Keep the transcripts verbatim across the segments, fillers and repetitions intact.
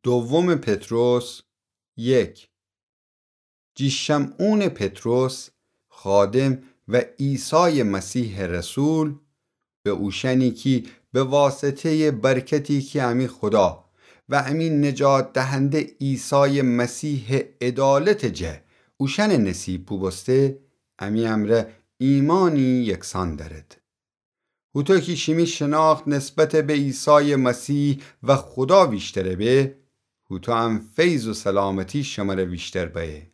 دوم پطرس یک. جی شمعونٚ پطرس، خادم و عیسایٚ مسیحٚ رسول، به اوشأنی کی به واسطه‌یٚ برکتی کی امی خودا و امی نجات دهنده عیسایٚ مسیحٚ عدالتٚ جا اوشأنٚ نصیب بوبوسته، امی امرأ ایمأنی یکسأن دأرد. هوطو کی شیمی شناخت نسبت به عیسایٚ مسیح و خودا ویشتر به، هوطو هم فیض و سلامتی شمر ویشتر بأیه.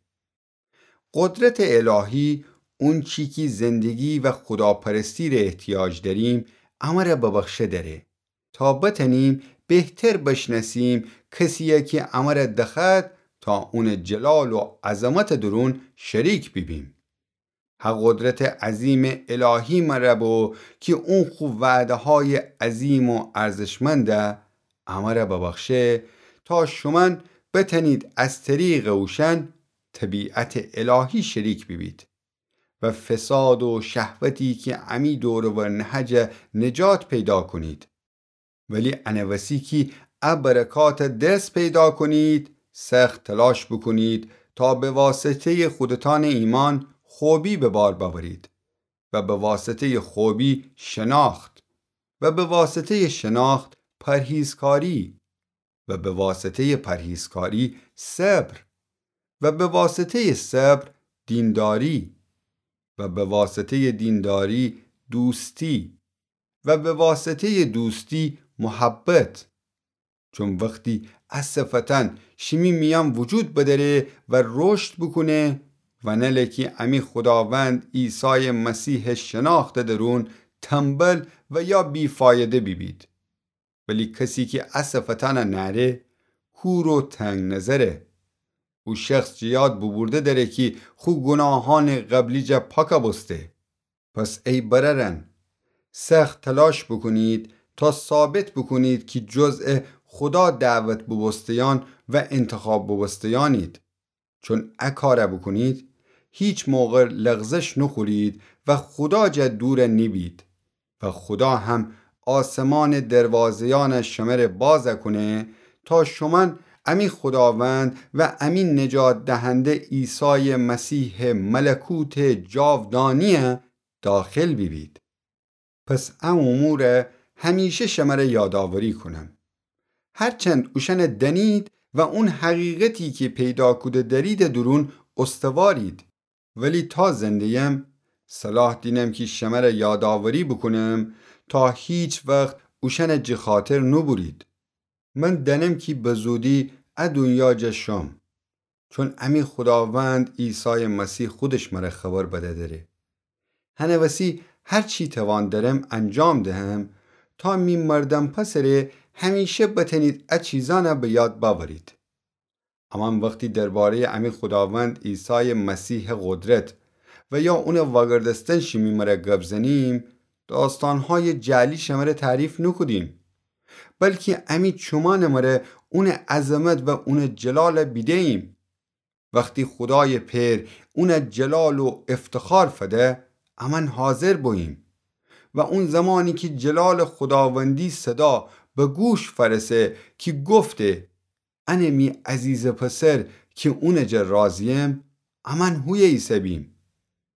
قدرتٚ الهی، اونچی کی زندگی و خوداپرستی ره احتیاج دأریم، امر ببخشه دأره تا بتأنیم بهتر بشنأسیم کسیی کی امر دخوأد تا اونٚ جلال و عظمتٚ دورون شریک بیبیم. هه قدرتٚ عظیمٚ الهی مر بو کی اون خو وعده‌هایٚ عظیم و ارزشمند امر ببخشه تا شومأن بتأنید از طریقٚ اوشأن طبیعتٚ الهی شریک بیبید و فساد و شهوتی کی امی دور و ور نهجه نجات پیدا کونید. ولی انه وسی کی ا برکات دس پیدا کونید، سخت تلاش بوکونید تا به واسطه‌یٚ خودتأنٚ ایمأن خوبی به بار بأورید و به واسطه‌یٚ خوبی شناخت و به واسطه‌یٚ شناخت پرهیزکاری و به واسطه‌یٚ پرهیزکاری صبر و به واسطه‌یٚ صبر دینداری و به واسطه‌یٚ دینداری دوستی و به واسطه‌یٚ دوستی محبت. چون وختی ا صفتأن شیمی میأن وجود بدأره و رشد بوکونه و نله کی امی خوداوند عیسایٚ مسیحٚ شناختٚ دورون تنبل و یا بی‌فایده بیبید. ولی کسی کی ا صفتأن نأره، کور و تنگ‌نظره. او شخص جٚه یاد بوبورده دأره کی خو گوناهأنٚ قبلی جا پاک بوسته. پس ای برأرأن، سخت تلاش بوکونید تا ثابت بوکونید کی جزء خودا دعوت بوبوسته‌یأن و انتخاب بوبوسته‌یأنید. چون ا کار بوکونید، هیچ موقع لغزش نوخورید و خودا جا دور نیبید. و خودا هم آسمانٚ دروازه‌یأن شمر باز کونه تا شومأن امی خوداوند و امی نجات دهنده عیسایٚ مسیحٚ ملکوتٚ جاودانی داخل بیبید. پس ا امور همیشه شمر یادآوری کونم. هرچند اوشأن دأنید و اون حقیقتی کی پیدا کوده دأریدٚ دورون استوارید. ولی تا زنده‌یم، صلاح دینم کی شمر یادآوری بوکونم تا هیچ وخت اوشأن جٚه خاطر نوبورید. من دأنم کی به زودی ا دونیا جا شم. چون امی خوداوند عیسایٚ مسیح خودش مر خبر بده دره. هنه وسی هر چی توان درم انجام دهم تا می مردن پسره همیشه بتأنید ا چیزأن به یاد بأورید. امأن وختی درباره‌یٚ امی خوداوند عیسایٚ مسیحٚ قدرت و یا اونٚ وأگردستن شیمی مر گب زنیم، داستانهایٚ جعلی شمر تعریف نوکودیم، بلکی امی چومأنٚ مر اونٚ عظمت و اونٚ جلال بیده‌ییم. وختی خودایٚ پئر اون جلال و افتخار فده، امأن حاضر بوییم. و اون زمانی کی جلالٚ خوداوندی صدا به گوش فأرسه کی گفته: «انه می عزیزٚ پسر کی اونٚ جا راضییم»، امأن هویه ایسه‌بیم.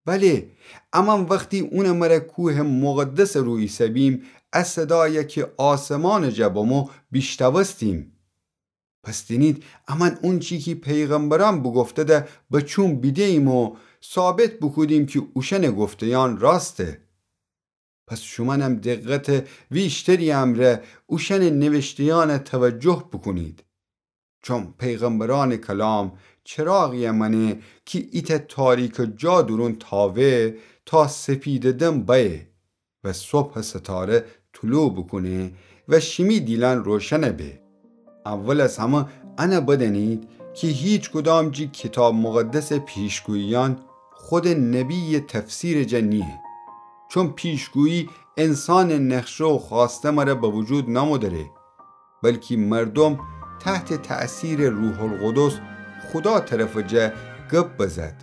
بله، امأن وختی اونٚ مر کوهٚ مقدسٚ رو ایسه‌بیم، ا صدای کی آسمانٚ جا بمو بیشتوستیم. پس دینید، امأن اونچی کی پیغمبرأن بوگفتده به چوم بیده‌ییم و ثابت بوکودیم کی اوشأنٚ گفته‌یأن راسته. پس شومأنم دقتٚ ویشتری امرأ اوشأنٚ نوشته‌یأن توجه بوکونید. چون پیغمبرأنٚ کلام چراغی مأنه کی ایتأ تاریکٚ جا دورون تاوه تا سپیدٚ دم بأیه و صبحٚ ستاره طلوع بوکونه و شیمی دیلأن روشن به. اول از همه انه بدأنید کی هیچ کدام جٚه کیتاب مقدسٚ پیشگوییأن خودٚ نبییٚ تفسیرٚ جا نییه. چون پیشگویی انسانٚ نقشه و خوأسته مر به وجود نمو دره، بلکی مردوم تحتٚ تأثیرٚ روح‌القدس خودا طرفٚ جا گب بزد